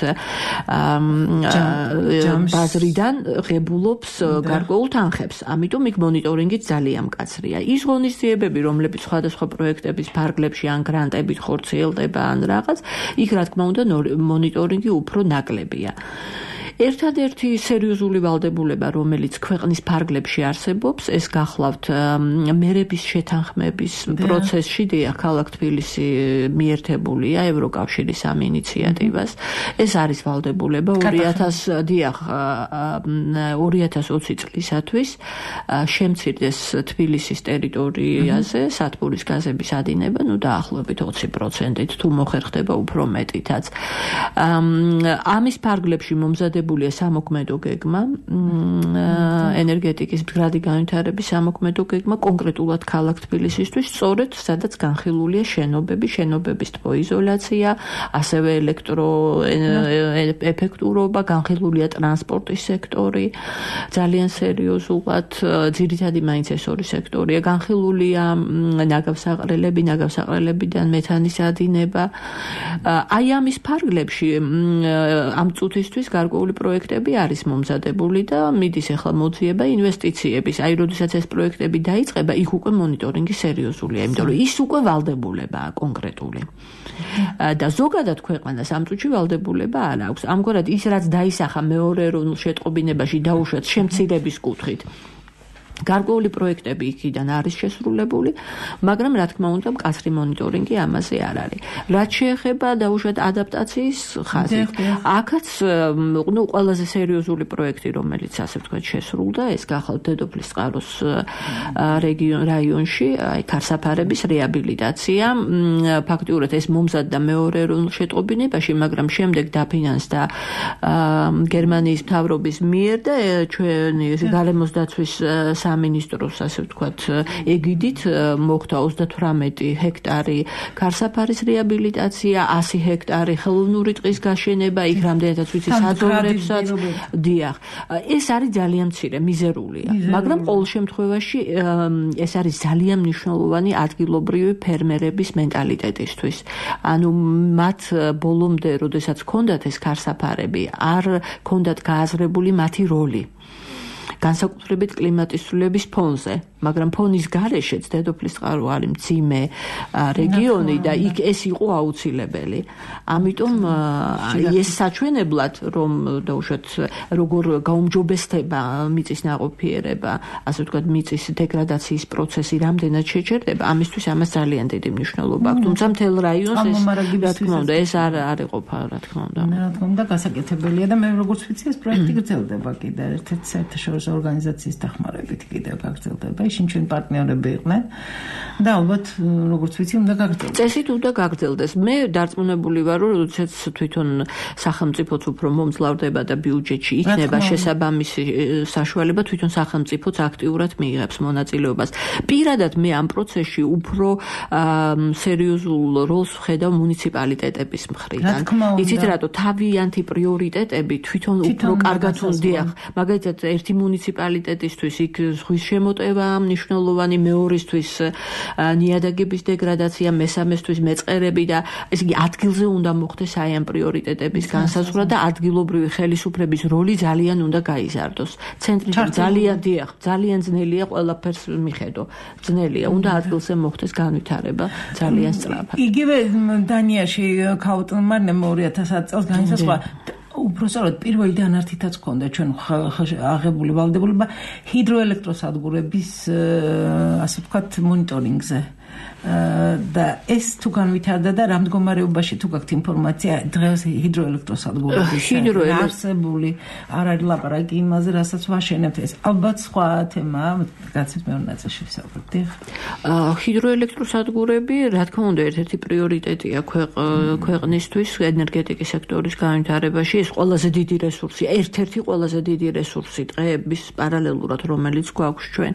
ბაზრიდან ღებულობს გარკვეულ თანხებს. ამიტომ იქ მონიტორინგი ძალიან მკაცრია. ის ღონისძიებები, რომლებიც სხვადასხვა პროექტების ფარგლებში ან გრანტებით ხორციელდება ან რაღაც, იქ რა თქმა უნდა მონიტორინგი უფრო ნაკლებია. ერთადერთი სერიოზული ვალდებულება, რომელიც ქვეყნის ფარგლებში არსებობს, ეს გახლავთ მერების შეთანხმების პროცესში, დიახ, ქალაქ თბილისი მიერთებულია ევროკავშირის ამ ინიციატივას. ეს არის ვალდებულება ორი ათას დიახ ორი ათას ოცი წლისათვის შემცირდეს თბილისის ტერიტორიაზე სათბურის გაზების ადინება, ну დაახლოებით ოცი პროცენტით, თუ მოხერხდება უფრო მეტითაც. ამის ფარგლებში მომზადებული სამოქმედო გეგმა, ენერგეტიკის მდგრადი განვითარების სამოქმედო გეგმა კონკრეტულად ქალაქ თბილისისთვის, სწორედ სადაც განხილულია შენობები, შენობების თბოიზოლაცია, ასევე ელექტროეფექტურობა, განხილულია ტრანსპორტის სექტორი, ძალიან სერიოზულად, ძირითადი მაინც ეს ორი სექტორია, განხილულია ნაგავსაყრელები, ნაგავსაყრელებიდან მეთანის ადინება. აი ამის ფარგლებში ამ წუთისთვის გარკვეული პროექტები არის მომზადებული და მიდის ახლა მოძიება ინვესტიციების. აი, როდესაც ეს პროექტები დაიწყება, იქ უკვე მონიტორინგი სერიოზულია, იმიტომ რომ ის უკვე ვალდებულებაა კონკრეტული. და ზოგადად ქვეყანას ამ წუთში ვალდებულება არ აქვს. ამგვარად ის რაც დაისახა მეორე ეროვნულ შეტყობინებაში დაუშვათ შემცირების კუთხით. გარკვეული პროექტები იქიდან არის შესრულებული, მაგრამ რა თქმა უნდა მკაცრი მონიტორინგი ამაზე არ არის. რაც შეეხება დაუშვათ ადაპტაციის ხაზით, აქაც ნუ ყველაზე სერიოზული პროექტი, რომელიც ასე ვთქვათ შესრულდა, ეს გახლავთ დედოფლის წყაროს რეგიონ რაიონში, აი ქარსაფარების რეაბილიტაცია. ფაქტიურად ეს მომზადდა მეორე ეროვნულ შეტყობინებაში, მაგრამ შემდეგ დაფინანსდა გერმანიის მთავრობის მიერ და ჩვენი გარემოს დაცვის სამინისტროს, ასე ვთქვათ, ეგიდით მოხდა ოცდათვრამეტი ჰექტარი ქარსაფარის რეაბილიტაცია, ასი ჰექტარი ხელოვნური ტყის გაშენება, იქ რამდენადაც ვიცი საძოვრებსაც. დიახ, ეს არის ძალიან მცირე, მიზერულია, მაგრამ ყოველ შემთხვევაში ეს არის ძალიან მნიშვნელოვანი ადგილობრივი ფერმერების მენტალიტეტისთვის. ანუ მათ ბოლომდე, როდესაც ჰქონდათ ეს ქარსაფარები, არ ჰქონდათ გააზრებული მათი როლი. განსაკუთრებით კლიმატისწულების ფონზე, მაგრამ ფონის გარეშეც დედოფლის წყარო არის მძიმე რეგიონი და იქ ეს იყო აუცილებელი. ამიტომ ეს საჩვენებლად, რომ დაუშვათ როგორ გაუმჯობესდება მიწის ნაყოფიერება, ასე ვთქვათ, მიწის დეგრადაციის პროცესი რამდენად შეჩერდება, ამისთვის ამას ძალიან დიდი მნიშვნელობა აქვს. თუმცა მთელ რაიონს ეს რა თქმა უნდა ეს არ არ იყოფა, რა თქმა უნდა. რა თქმა უნდა გასაკეთებელია და მე როგორც ვიცი ეს პროექტი გრძელდება კიდე ერთ-ერთ საერთაშორისო ორგანიზაციის დახმარებით კიდევ გაგრძელდება. ისინი ჩვენ პარტნიორები იყვნენ და ალბათ როგორც ვიცი უნდა გაგრძელდეს. წესით უნდა გაგრძელდეს. მე დარწმუნებული ვარ, რომ როდესაც თვითონ სახელმწიფოც უფრო მომძლავრდება და ბიუჯეტში იქნება შესაბამისი საშუალება, თვითონ სახელმწიფოც აქტიურად მიიღებს მონაწილეობას. პირადად მე ამ პროცესში უფრო სერიოზულ როლს ვხედავ მუნიციპალიტეტების მხრიდან. იცით რატო? თავიანთი პრიორიტეტები თვითონ უფრო კარგად უნდიახ. მაგალითად ერთი მუნიციპალიტეტისთვის იქ ზღვის შემოტევა მნიშვნელოვანი, მეორისთვის ნიადაგების დეგრადაცია, მესამესთვის მეწყერები და ესე იგი ადგილზე უნდა მოხდეს აი ამ პრიორიტეტების განსაზღვრა და ადგილობრივი ხელისუფლების როლი ძალიან უნდა გაიზარდოს. ცენტრი ძალიან დიახ, ძალიან ძნელია ყველაფერს მიხედო. ძნელია, უნდა ადგილზე მოხდეს განვითარება ძალიან სწრაფად. იგივე დანიაში ქაუტონმა ორი ათას ათი წელს განისაზღვრა უпроსწორად პირველი დანართითაც ჰქონდა ჩვენ აღებული ვალდებულება ჰიდროელექტროსადგურების ასე ვთქვათ მონიტორინგზე. და ეს თუ განვითარდა და რა მდგომარეობაში თუ გაქვთ ინფორმაცია დღეს ჰიდროელექტროსადგურების არსებული არ არის ლაპარაკი იმაზე, რასაც ვაშენებთ, ეს ალბათ სხვა თემაა, გაცეთ მეორე ნაწილში ვსაუბრობთ. ჰიდროელექტროსადგურები, რა თქმა უნდა, ერთ-ერთი პრიორიტეტია ქვეყნისთვის ენერგეტიკის სექტორის განვითარებაში. ეს ყველაზე დიდი რესურსია, ერთ-ერთი ყველაზე დიდი რესურსი დღეების პარალელურად, რომელიც გვაქვს ჩვენ.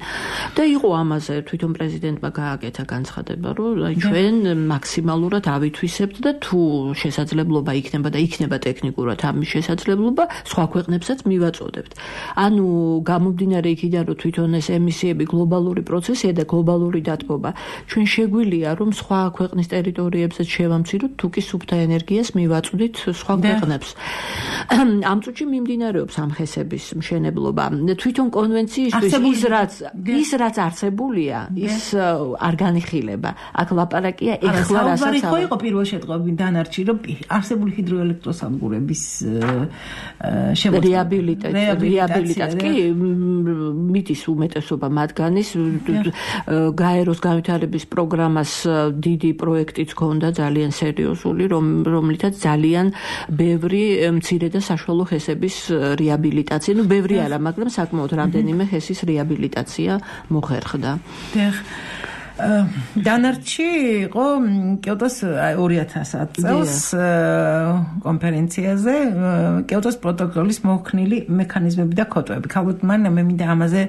და იყო ამაზე თვითონ პრეზიდენტმა გააკეთა განცხადება, რომ ჩვენ მაქსიმალურად ავითვისებთ და თუ შესაძლებლობა იქნება და იქნება ტექნიკურად ამის შესაძლებლობა, სხვა ქვეყნებსაც მივაწოდებთ. ანუ გამომდინარე იქიდან, რომ თვითონ ეს ემისიები გლობალური პროცესია და გლობალური დათბობა, ჩვენ შეგვიძლია რომ სხვა ქვეყნის ტერიტორიებსაც შევამციროთ, თუ კი სუფთა ენერგიას მივაწვდით სხვა ქვეყნებს. ამ წუთში მიმდინარეობს ამხესების მშენებლობა. თვითონ კონვენციისთვის ის რაც ის რაც არსებულია, ის არ განიხილება. აქ ლაპარაკია ეხლა რასაც ხო იყო პირველ შეტყობინ დანარჩი, რომ არსებული ჰიდროელექტროსადგურების რეაბილიტაცია კი მიდის უმეტესობა მათგანის გაეროს განვითარების პროგრამას დიდი პროექტიც ჰქონდა ძალიან სერიოზული, რომლითაც ძალიან ბევრი მცირე და საშუალო ხესების რეაბილიტაცია, ну ბევრი არა, მაგრამ საკმაოდ რამდენიმე ხესის რეაბილიტაცია მოხერხდა. დანარჩი იყო კიოტოს ორი ათასი წელს კონფერენციაზე კიოტოს პროტოკოლის მოხსნილი მექანიზმები და კოტოები. ქალბატონ მარინა, მე მინდა ამაზე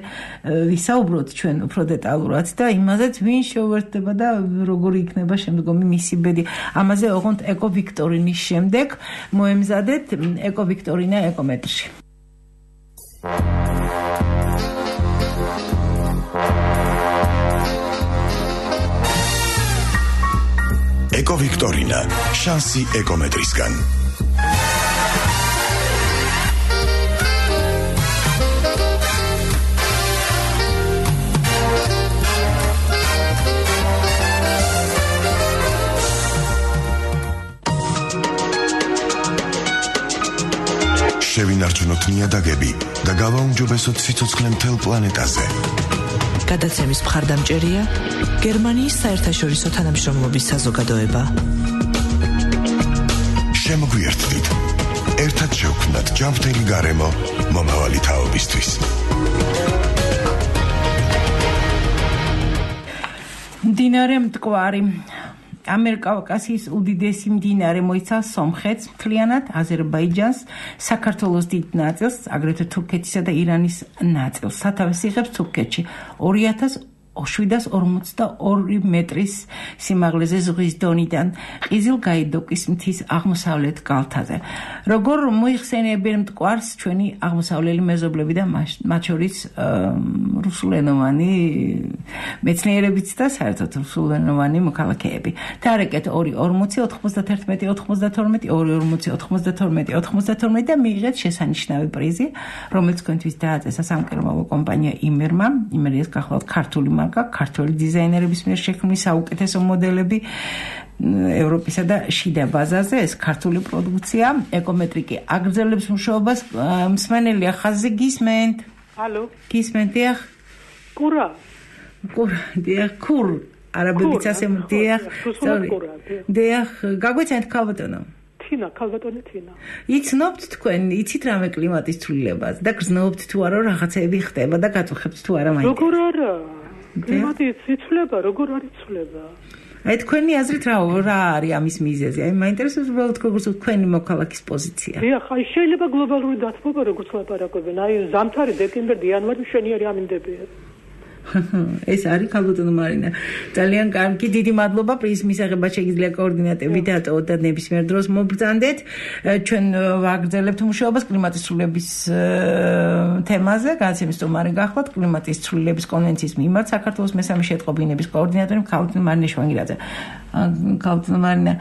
ვისაუბროთ ჩვენ უფრო დეტალურად და იმაზეც ვინ შეუერთდება და როგორი იქნება შემდგომი მისი ბედი. ამაზე ოღონდ ეკო ვიქტორინის შემდეგ მოემზადეთ ეკო ვიქტორინა ეკომეტრში. ეკო ვიქტორინა, შანსი ეკომეტრისგან. შევინარჩუნოთ ნიადაგები და გავაუმჯობესოთ სიცოცხლე მთელ პლანეტაზე. გადაცემის მხარდამჭერია გერმანიის საერთაშორისო თანამშრომლობის საზოგადოება. შემოგვიერთდით. ერთად შევქმნათ ჯანმრთელი გარემო მომავალი თაობისთვის. მდინარე მტკვარი ამერკავკასიის უდიდესი მდინარე მოიცავს სომხეთს, მთლიანად აზერბაიჯანს, საქართველოს დიდ ნაწილს, აგრეთვე თურქეთისა და ირანის ნაწილს. სათავეს იღებს თურქეთში ორი ათას შვიდას ორმოცდაორი მეტრის სიმაღლეზე ზღვის დონიდან, ყიზილ-გაიდოკის მთის აღმოსავლეთ კალთაზე. როგორ მოიხსენიებენ მტკვარს ჩვენი აღმოსავლელი მეზობლები და მათ შორის რუსულენოვანი მეცნიერებიც და საერთოდ რუსულენოვანი მოქალაქეები. თარეკეთ ორი ორმოცი ოთხმოცდათერთმეტი ოთხმოცდათორმეტი ორი ორმოცი ოთხმოცდათორმეტი ოთხმოცდათორმეტი და მიიღეთ შესანიშნავი პრიზი, რომელიც თქვენთვის დააწესა სამკერმავო კომპანია იმერმა. იმერიას გახლავთ ქართული ქართველი დიზაინერების მიერ შექმნილი საუკეთესო მოდელები ევროპისა და შიდა ბაზაზე. ეს ქართული პროდუქცია ეკომეტრიკი აგრძელებს მუშაობას. მსმენელია ხაზი, გისმენთ? ალო, გისმენთ? დიახ. კურა. კურა, დიახ, კურ. არაბებიც ასე დიახ. დიახ, გაგვეცანთ ქალბატონო. თინა, ქალბატონი თინა. იცნობთ თქვენ, იცით რამე კლიმატის ცვლილებას და გრძნობთ თუ არა რაღაცები ხდება და გაწუხებთ თუ არა მაინც? როგორ არა? კლიმატის ცვლილება როგორ არის ცვლილება? აი თქვენი აზრით რა რა არის ამის მიზეზი? აი მაინტერესებს უბრალოდ როგორც თქვენი მოქალაქის პოზიცია. დიახ, აი შეიძლება გლობალური დათბობა როგორც ლაპარაკობენ, აი ზამთარი, დეკემბერი, იანვარი მშვენიერი ამინდებია. ეს არის ქალბატონო მარინა. ძალიან კარგი, დიდი მადლობა პრიზის მისაღებად შეგიძლია კოორდინატები დატოვოთ და ნებისმიერ დროს მობრძანდეთ. ჩვენ ვაგრძელებთ მუშაობას კლიმატის ცვლილების თემაზე. განაცემის სტუმარი გახლავთ კლიმატის ცვლილების კონვენციის მიმართ საქართველოს მესამე შეტყობინების კოორდინატორი ქალბატონი მარინა შვანგილაძე. ქალბატონო მარინა,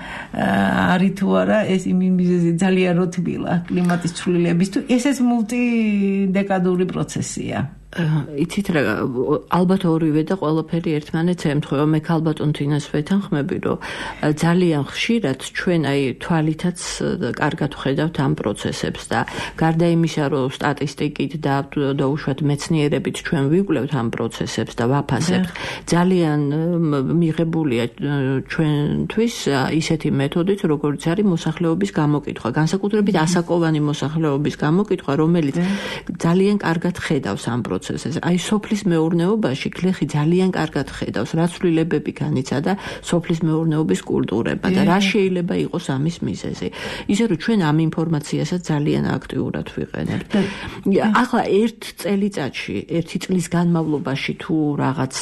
არის თუ არა ეს იმიზეზი ძალიან რთულა კლიმატის ცვლილების თუ ესეც მულტიდეკადური პროცესია? იცით რა ალბათ ორივე და ყველაფერი ერთმანეთს ემთხვევა. მე ალბათ თინას ვეთანხმები, რომ ძალიან ხშირად ჩვენ აი თვალითაც კარგად ვხედავთ ამ პროცესებს და გარდა იმისა, რომ სტატისტიკით და დაუშვათ მეცნიერებით ჩვენ ვიკვლევთ ამ პროცესებს და ვაფასებთ, ძალიან მიღებულია ჩვენთვის ისეთი მეთოდით, როგორც არის მოსახლეობის გამოკითხვა, განსაკუთრებით ასაკოვანი მოსახლეობის გამოკითხვა, რომელიც ძალიან კარგად ხედავს ამ პროცესს. აი სოფლის მეურნეობაში გლეხი ძალიან კარგად ხედავს, რა ცვლილებები განიცადა სოფლის მეურნეობის კულტურება და რა შეიძლება იყოს ამის მიზეზი. ისე რომ ჩვენ ამ ინფორმაციასაც ძალიან აქტიურად ვიყენებთ. ახლა ერთ წელიწადში, ერთი წლის განმავლობაში თუ რაღაც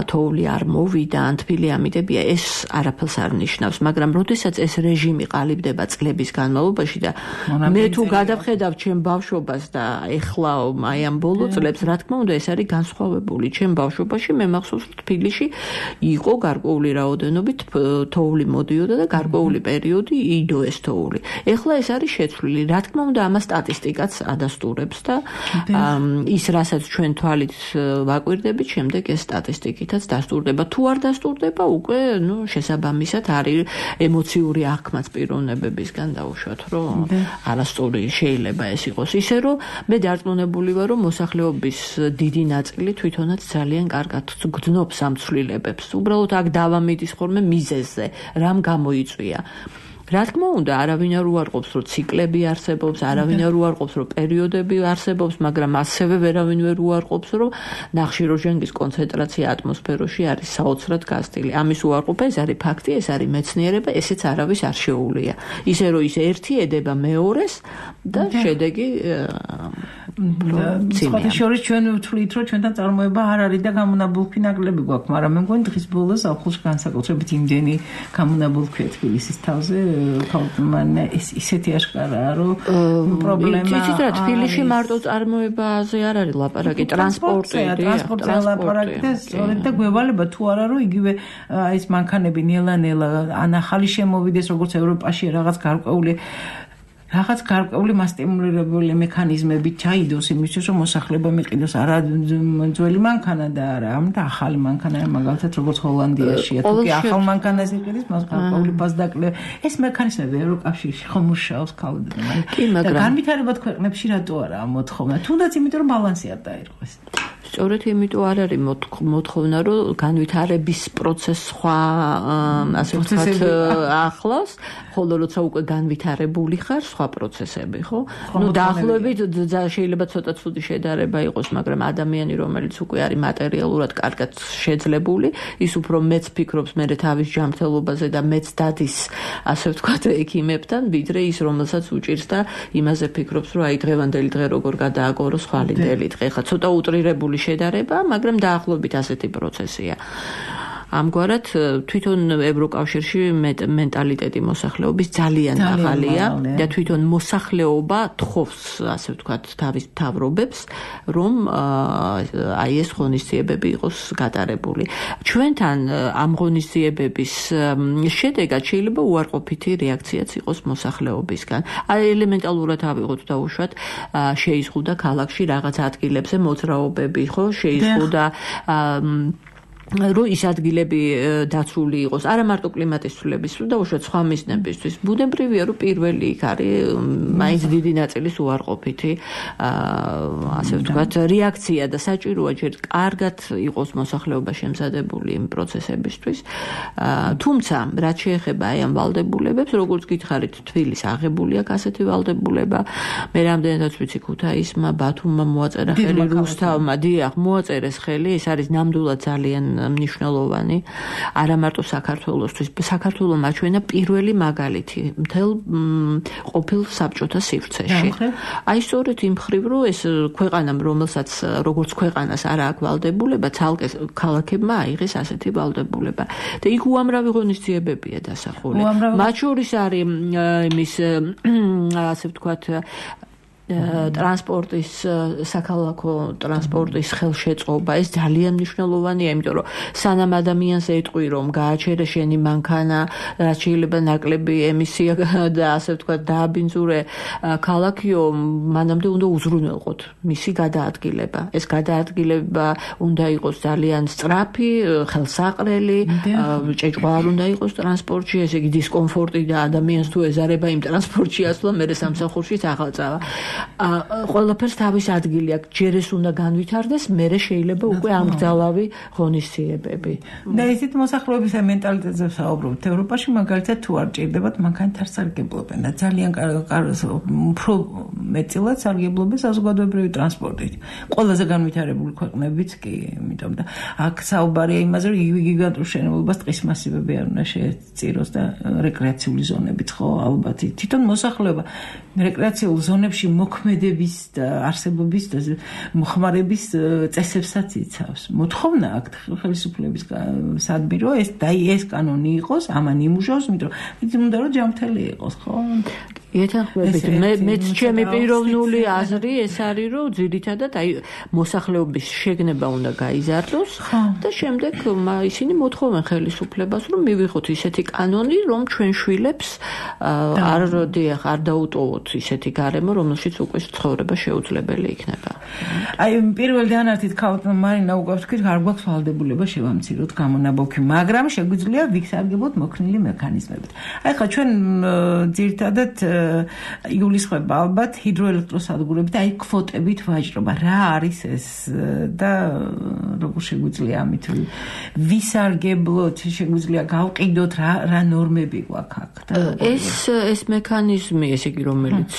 თოვლი არ მოვიდა, ან თბილი ამიდებია, ეს არაფერს არ ნიშნავს, მაგრამ როდესაც ეს რეჟიმი ყალიბდება წლების განმავლობაში და მე თუ გადავხედავ ჩემ ბავშვობას და ეხლა აი ამ ბოლო წლებს, რა თქმა უნდა, ეს არის განსხვავებული. ჩემ ბავშვობაში მე მახსოვს, რომ თბილისში იყო გარკვეული რაოდენობით თოვლი მოდიოდა და გარკვეული პერიოდი იდო ეს თოვლი. ეხლა ეს არის შეცვლილი. რა თქმა უნდა, ამას სტატისტიკაც ადასტურებს და ის, რასაც ჩვენ თვალით ვაკვირდებით, შემდეგ ეს სტატისტიკითაც დასტურდება. თუ არ დასტურდება, უკვე ნუ შესაბამისად არის ემოციური აღქმაც პიროვნებებისგან დაუშვათ, რომ არასწორი შეიძლება ეს იყოს. ისე რომ მე დარწმუნებული ვარ, რომ მოსახლეობის დიდი ნაწილი თვითონაც ძალიან კარგად გძნობს ამ ცვლილებებს. უბრალოდ აქ დავამიდის ხოლმე მიზეზზე, რამ გამოიწვია. რა თქმა უნდა, არავინ არ უარყოფს, რომ ციკლები არსებობს, არავინ არ უარყოფს, რომ პერიოდები არსებობს, მაგრამ ასევე ვერავინ ვერ უარყოფს, რომ ნახშირორჟანგის კონცენტრაცია ატმოსფეროში არის საოცრად გაზრდილი. ამის უარყოფა ეს არის ფაქტი, ეს არის მეცნიერება, ესეც არავის არ შეუულია. ისე რომ ის ერთი ედება მეორეს და შედეგი სხვა შორის ჩვენ ვთვლით, რომ ჩვენთან წარმოება არ არის და გამონაბოლქვი ნაკლები გვაქვს, მაგრამ მე მგონი დღის ბოლოს ახლოს განსაკუთრებით იმდენი გამონაბოლქვია თბილისის თავზე, ხალხმა ეს ისეთი აშკარაა, რომ პრობლემა იცით რა, თბილისში მარტო წარმოებაზე არ არის ლაპარაკი, ტრანსპორტი, ტრანსპორტზე ლაპარაკი და სწორედ და გვევალება თუ არა, რომ იგივე ეს მანქანები ნელა-ნელა ან ახალი შემოვიდეს, როგორც ევროპაში რაღაც გარკვეული რაღაც გარკვეული მასტიმულირებული მექანიზმები ჩაიდოს იმისთვის, რომ მოსახლეობა მიყიდოს არა ძველი მანქანა და არა ამ და ახალი მანქანა, მაგალითად როგორც ჰოლანდიაშია. თუ კი ახალ მანქანას იყიდეს, მას გარკვეული პასდაკლე. ეს მექანიზმები ევროკავშირში ხომ მუშაობს ქალბატონო. და განვითარებად ქვეყნებში რატო არა მოთხოვნა? თუნდაც იმიტომ, რომ ბალანსი არ დაერღვეს. სწორედ იმიტომ არ არის მოთხოვნა, რომ განვითარების პროცესს სხვა ასე ვთქვათ ახლავს, ხოლო როცა უკვე განვითარებული ხარ, სხვა პროცესები, ხო? ნუ დაახლოებით შეიძლება ცოტა ცუდი შედარება იყოს, მაგრამ ადამიანი, რომელიც უკვე არის მატერიალურად კარგად შეძლებული, ის უფრო მეც ფიქრობს მერე თავის ჯანმრთელობაზე და მეც დადის, ასე ვთქვათ, ექიმებთან, ვიდრე ის, რომელსაც უჭირს და იმაზე ფიქრობს, რომ აი დღევანდელი დღე როგორ გადააგოროს ხვალინდელი დღე. ხა ცოტა უტრირებული შედარება, მაგრამ დაახლოებით ასეთი პროცესია. ამგვარად თვითონ ევროკავშირში მენტალიტეტი მოსახლეობის ძალიან მაღალია და თვითონ მოსახლეობა თხოვს, ასე ვთქვათ, თავის მთავრობებს, რომ აი ეს ღონისძიებები იყოს გატარებული. ჩვენთან ამ ღონისძიებების შედეგად შეიძლება უარყოფითი რეაქციაც იყოს მოსახლეობისგან. აი ელემენტალურად ავიღოთ და უშვათ, შეიზღუდა ქალაქში რაღაც ადგილებზე მოძრაობები, ხო, შეიზღუდა რომ ის ადგილები დაცული იყოს, არა მარტო კლიმატის ცვლილებისთვის და უშუალოდ სხვა მიზნებისთვის. ბუნებრივია, რომ პირველი იქ არის მაინც დიდი ნაწილის უარყოფითი, ასე ვთქვათ, რეაქცია და საჭიროა ჯერ კარგად იყოს მოსახლეობა შემზადებული იმ პროცესებისთვის. თუმცა, რაც შეეხება აი ამ ვალდებულებებს, როგორც გითხარით, თბილის აღებული აქვს ასეთი ვალდებულება. მე რამდენადაც ვიცი, ქუთაისმა, ბათუმმა მოაწერა ხელი, რუსთავმა, დიახ, მოაწერეს ხელი, ეს არის ნამდვილად ძალიან მნიშვნელოვანი, არა მარტო საქართველოსთვის, საქართველოს მაჩვენა პირველი მაგალითი მთელ ყოფილ საბჭოთა სივრცეში. აი სწორედ იმ მხრივ, რომ ეს ქვეყანამ, რომელსაც როგორც ქვეყანას არა აქვს ვალდებულება, ცალკე ქალაქებმა აიღეს ასეთი ვალდებულება. და იქ უამრავი ღონისძიებებია დასახული. მათ შორის არის იმის, ასე ვთქვათ, ტრანსპორტის საქალაქო ტრანსპორტის ხელშეწყობა ეს ძალიან მნიშვნელოვანია, იმიტომ რომ სანამ ადამიანს ეტყვი რომ გააჩერე შენი მანქანა, რაც შეიძლება ნაკლები ემისია და ასე ვთქვათ დააბინძურე ქალაქიო, მანამდე უნდა უზრუნველყოთ მისი გადაადგილება. ეს გადაადგილება უნდა იყოს ძალიან სწრაფი, ხელსაყრელი, ჭეჭვა არ უნდა იყოს ტრანსპორტში, ესე იგი დისკომფორტი და ადამიანს თუ ეზარება იმ ტრანსპორტში ასვლა, მერე სამსახურში აღაწავა. ყველაფერს თავის ადგილი აქვს, ჯერ ეს უნდა განვითარდეს, მერე შეიძლება უკვე ამგზალავი ღონისძიებები. და ისეთ მოსახლეობის მენტალიტეტზე ვსაუბრობთ. ევროპაში მაგალითად თუ არ ჭირდებათ მანქანით არ სარგებლობენ და ძალიან უფრო მეტწილად სარგებლობენ საზოგადოებრივი ტრანსპორტით. ყველაზე განვითარებული ქვეყნებიც კი, იმიტომ და აქ საუბარია იმაზე, რომ გიგანტურ შენობებას ტყის მასივები არ უნდა შეეწიროს და რეკრეაციული ზონებიც ხო ალბათ თვითონ მოსახლეობა რეკრეაციულ ზონებში მოქმედების და არსებობის და მოხმარების წესებსაც იცავს. მოთხოვნა აქ ხელისუფლების სადმირო ეს და ეს კანონი იყოს, ამან იმუშაოს, იმიტომ რომ უნდა რომ ჯანმრთელი იყოს, ხო? ეთანხმებით, მე მეც ჩემი პიროვნული აზრი ეს არის, რომ ძირითადად აი მოსახლეობის შეგნება უნდა გაიზარდოს და შემდეგ ისინი მოთხოვენ ხელისუფლებას, რომ მივიღოთ ისეთი კანონი, რომ ჩვენ შვილებს არ დიახ, არ დაუტოვოთ ისეთი გარემო, რომელშიც უკვე ცხოვრება შეუძლებელი იქნება. აი პირველ დანართით ქალთ მარინა უკვე ვთქვით, არ გვაქვს ვალდებულება შევამციროთ გამონაბოლქვი, მაგრამ შეგვიძლია ვისარგებლოთ მოქნილი მექანიზმებით. აი ხა ჩვენ ძირითადად იულისხმება ალბათ ჰიდროელექტროსადგურებით, აი კვოტებით ვაჭრობა. რა არის ეს და როგორ შეგვიძლია ამით ვისარგებლოთ, შეგვიძლია გავყიდოთ რა რა ნორმები გვაქვს აქ და ეს ეს მექანიზმი, ესე იგი, რომელიც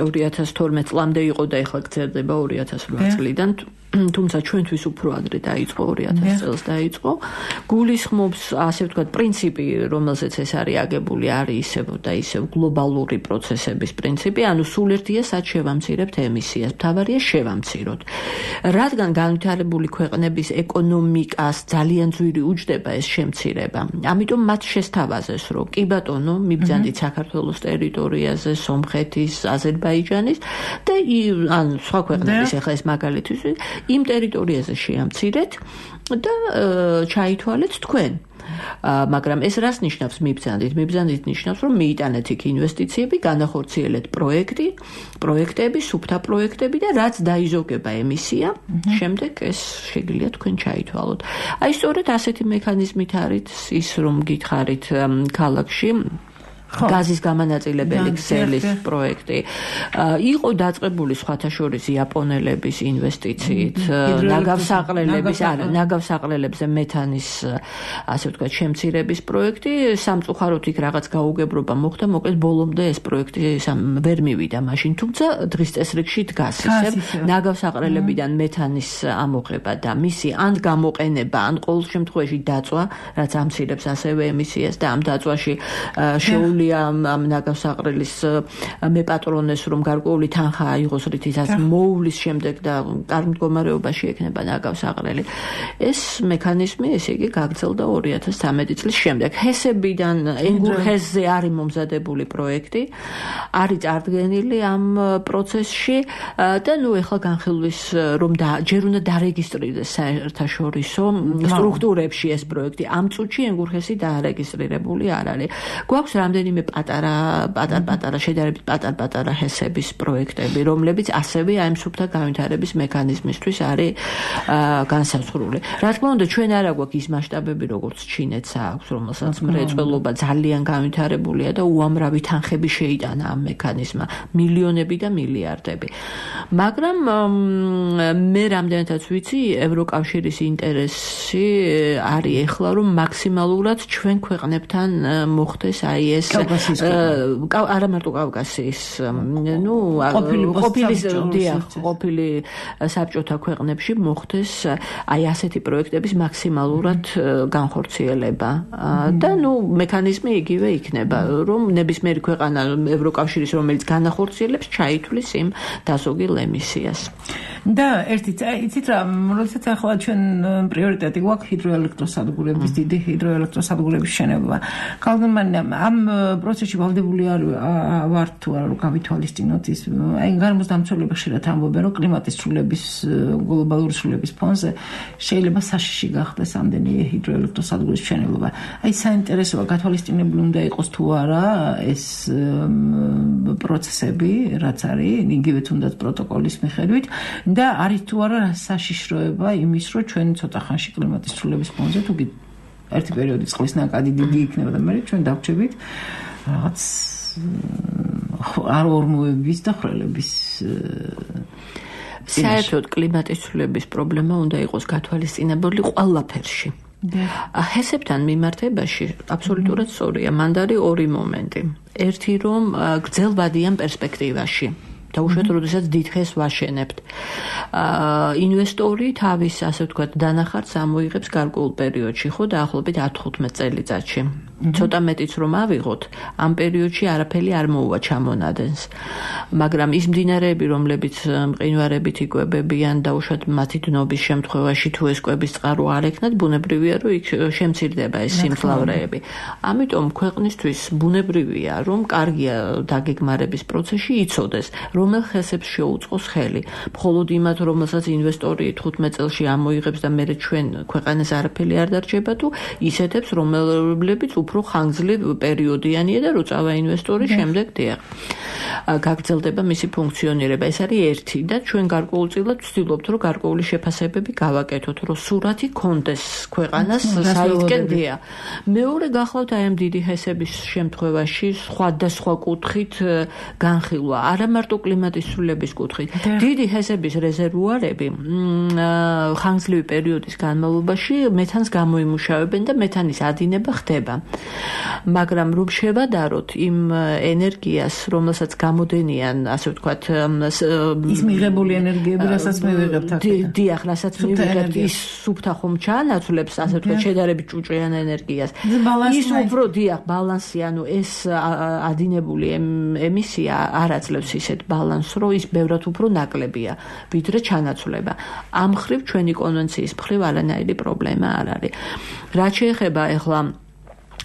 ორი ათას თორმეტ წლამდე იყო და ეხლა გრძელდება ორი ათას რვა წლიდან, თუმცა ჩვენთვის უფრო ადრე დაიწყო, ორი ათას წელს დაიწყო. გულისხმობს, ასე ვთქვათ, პრინციპი, რომელზეც ეს არის აგებული, არის ისევ და ისევ გლობალური პროცესების პრინციპი, ანუ სულ ერთია სად შევამცირებთ ემისიას. მთავარია შევამციროთ. რადგან განვითარებული ქვეყნების ეკონომიკას ძალიან ძვირი უჯდება ეს შემცირება. ამიტომ მათ შესთავაზეს, რომ კი ბატონო, მიბრძანდით საქართველოს ტერიტორიაზე, სომხეთის, აზერბაიჯანის და ან სხვა ქვეყნების, ახლა ეს მაგალითის იმ ტერიტორიაზე შეამცირეთ და ჩაითვალეთ თქვენ. მაგრამ ეს რას ნიშნავს მიბრძანდით? მიბრძანდით ნიშნავს, რომ მიიტანეთ იქ ინვესტიციები, განახორციელეთ პროექტი, პროექტები, სუფთა პროექტები და რაც დაიზოგება ემისია, შემდეგ ეს შეგიძლია თქვენ ჩაითვალოთ. აი სწორედ ასეთი მექანიზმით არის ის, რომ გითხარით ქალაქში გაზის გამანაწილებელი ქსელის პროექტი იყო დაწყებული სხვათა შორის იაპონელების ინვესტიციით, ნაგავსაყრელების, არა, ნაგავსაყრელებზე მეთანის, ასე ვთქვათ, შემცირების პროექტი, სამწუხაროდ იქ რაღაც გაუგებრობა მოხდა, მოკლედ ბოლომდე ეს პროექტი ვერ მივიდა მაშინ, თუმცა დღის წესრიგში დგას ისევ ნაგავსაყრელებიდან მეთანის ამოღება და მისი ან გამოყენება, ან ყოველ შემთხვევაში დაწვა, რაც ამცირებს ასევე ემისიას და ამ დაწვაში შეუ ამ ნაგავსაყრელის მეპატრონეს, რომ გარკვეული თანხა აიღოს, რითიც მოუვლის შემდეგ და კარგ მდგომარეობაში ექნება ნაგავსაყრელი. ეს მექანიზმი, ესე იგი, გაგრძელდა ორი ათას ცხრამეტი წლის შემდეგ. ჰესებიდან ენგურ ჰესზე არის მომზადებული პროექტი, არის წარდგენილი ამ პროცესში და ნუ ეხლა განხილვის, რომ ჯერ უნდა დარეგისტრირდეს საერთაშორისო სტრუქტურებში ეს პროექტი. ამ წუთში ენგურ ჰესი დაარეგისტრირებული არ არის. გვაქვს რამდენი პატარა პატარ-პატარა შედარებით პატარ-პატარა ჰესების პროექტები, რომლებიც ასევე აი სუფთა განვითარების მექანიზმისთვის არის განსაზღვრული. რა თქმა უნდა, ჩვენ არ აგვაქვს ის მასშტაბები, როგორც ჩინეთს აქვს, რომელსაც მრეწველობა ძალიან განვითარებულია და უამრავი თანხები შეიტანა ამ მექანიზმმა, მილიონები და მილიარდები. მაგრამ მე რამდენადაც ვიცი, ევროკავშირის ინტერესი არის ეხლა, რომ მაქსიმალურად ჩვენ ქვეყნებთან მოხდეს აი ეს არა მარტო კავკასიის, ნუ ყოფილი ყოფილი საბჭოთა ქვეყნებში მოხდეს აი ასეთი პროექტების მაქსიმალურად განხორციელება და ნუ მექანიზმი იგივე იქნება, რომ ნებისმიერი ქვეყანა ევროკავშირის, რომელიც განახორციელებს, ჩაითვლის იმ დასოგილ ემისიას. და ერთი იცით რა, როდესაც ახლა ჩვენ პრიორიტეტი გვაქვს ჰიდროელექტროსადგურების, დიდი ჰიდროელექტროსადგურების შენება. კალდმანი ამ პროცესში ვალდებული არ ვარ თუ არა რომ გავითვალისწინოთ ის აი გარემოსდამცველები ხშირად ამბობენ რომ კლიმატის ცვლილების გლობალური ცვლილების ფონზე შეიძლება საშიში გახდეს ამდენი ჰიდროელექტროსადგურის მშენებლობა. აი საინტერესოა გათვალისწინებული უნდა იყოს თუ არა ეს პროცესები რაც არის იგივე თუნდაც პროტოკოლის მიხედვით და არის თუ არა საშიშროება იმის რომ ჩვენ ცოტა ხანში კლიმატის ცვლილების ფონზე თუ ერთი პერიოდი წყლის ნაკადი დიდი იქნება და მე ჩვენ დავჭებით რაღაც არ ორმოების და ხრელების საერთოდ კლიმატის ცვლილების პრობლემა უნდა იყოს გათვალისწინებული ყველაფერში. ჰესებთან მიმართებაში აბსოლუტურად სწორია. მანდ არის ორი მომენტი. ერთი რომ გრძელვადიან პერსპექტივაში. დაუშვათ, როდესაც დიდ ხეს ვაშენებთ. ინვესტორი თავის, ასე ვთქვათ, დანახარს ამოიღებს გარკვეულ პერიოდში, ხო, დაახლოებით ათი-თხუთმეტი წელიწადში. ცოტა მეტიც რომ ავიღოთ, ამ პერიოდში არაფერი არ მოუვა ჩამონადენს. მაგრამ ის მდინარეები, რომლებიც მყინვარებით იკვებებიან, დაუშვათ მათი დნობის შემთხვევაში თუ ეს კვების წყარო არ ექნათ, ბუნებრივია, რომ იქ შემცირდება ეს სიმძლავრეები. ამიტომ ქვეყნისთვის ბუნებრივია, რომ კარგია დაგეგმარების პროცესში იცოდეს, რომელ ხესებს შეუწყოს ხელი. მხოლოდ იმათ, რომელსაც ინვესტორი თხუთმეტ წელში ამოიღებს და მერე ჩვენ ქვეყანას არაფერი არ დარჩება თუ ისეთებს, რომლებიც უფრო ხანგრძლივ პერიოდიანია და რო წავა ინვესტორი შემდეგ დიახ. გაგრძელდება მისი ფუნქციონირება. ეს არის ერთი და ჩვენ გარკვეულწილად ვცდილობთ, რომ გარკვეული შეფასებები გავაკეთოთ, რომ სურათი კონდეს ქვეყანას საერთკენ დია. მეორე გახლავთ აი ამ დიდი ჰესების შემთხვევაში სხვადასხვა კუთხით განხილვა. არა მარტო კლიმატის ცვლილების კუთხით. დიდი ჰესების რეზერვუარები ხანგრძლივი პერიოდის განმავლობაში მეთანს გამოიმუშავებენ და მეთანის ადინება ხდება. მაგრამ რომ შევადაროთ იმ ენერგიას, რომელსაც გამოდენიან, ასე ვთქვათ, ის მიღებული ენერგიები, რასაც მივიღებთ აქედან. დიახ, რასაც მივიღებთ, ის სუფთა ხომ ჩაანაცვლებს, ასე ვთქვათ, შედარებით ჭუჭრიან ენერგიას. ის უფრო დიახ, ბალანსი, ანუ ეს ადინებული ემისია არ აძლევს ისეთ ბალანსს, რომ ის ბევრად უფრო ნაკლებია, ვიდრე ჩანაცვლება. ამ ხრივ ჩვენი კონვენციის მხრივ არანაირი პრობლემა არ არის. რაც შეეხება ახლა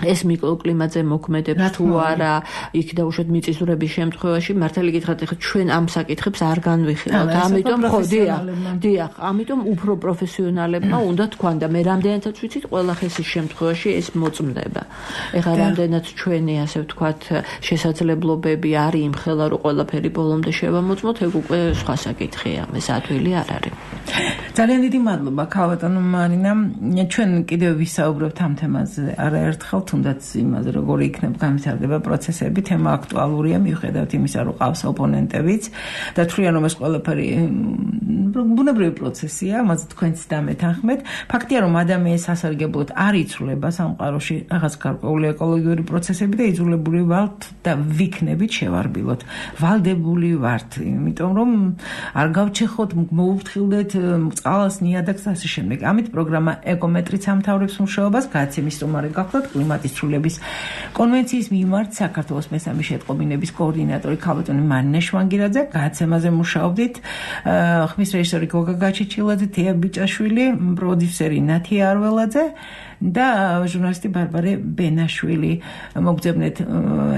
ეს მიკროკლიმატზე მოქმედებს თუ არა, იქ დაუშვათ მიწისძვრების შემთხვევაში, მართალი გითხრათ, ახლა ჩვენ ამ საკითხებს არ განვიხილავთ. ამიტომ ხო, დიახ, დიახ, ამიტომ უფრო პროფესიონალებმა უნდა თქვან და მე რამდენადაც ვიცით, ყველა ხესის შემთხვევაში ეს მოწმდება. ეხლა რამდენად ჩვენი, ასე ვთქვათ, შესაძლებლობები არის იმხელა, რომ ყველაფერი ბოლომდე შევამოწმოთ, ეგ უკვე სხვა საკითხია, ეს ადვილი არ არის. ძალიან დიდი მადლობა, ქალბატონო მარინა. ჩვენ კიდევ ვისაუბრებთ ამ თემაზე არაერთხელ თუნდაც იმაზე როგორი იქნება განვითარდება პროცესები, თემა აქტუალურია მიუხედავად იმისა, რომ ყავს ოპონენტებიც და თვლიან რომ ეს ყველაფერი ბუნებრივი პროცესია, მას თქვენც დამეთანხმეთ. ფაქტია რომ ადამიანის სასარგებლოდ არ იცვლება სამყაროში რაღაც გარკვეული ეკოლოგიური პროცესები და იძულებული ვართ და ვიქნებით შევარბილოთ. ვალდებული ვართ, იმიტომ რომ არ გავჩეხოთ, მოუფრთხილდეთ წყალს, ნიადაგს და ასე შემდეგ. ამით პროგრამა ეკომეტრიც ამთავრებს მუშაობას, გადაცემის სტუმარი გახლავთ კლიმატის ცვლილების კონვენციის მიმართ საქართველოს მესამე შეტყობინების კოორდინატორი ქალბატონი მარინა შვანგირაძე. გადაცემაზე მუშაობდით ხმის რეჟისორი გოგა გაჩეჩილაძე, თეა ბიჭაშვილი, პროდიუსერი ნათია არველაძე და ჟურნალისტი ბარბარე ბენაშვილი. მოგძებნეთ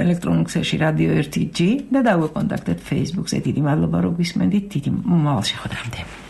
ელექტრონულ ქსელში რადიო ერთი ჯი და დაგვეკონტაქტეთ Facebook-ზე. დიდი მადლობა რომ გვისმენდით. დიდი მომავალ შეხვედრამდე.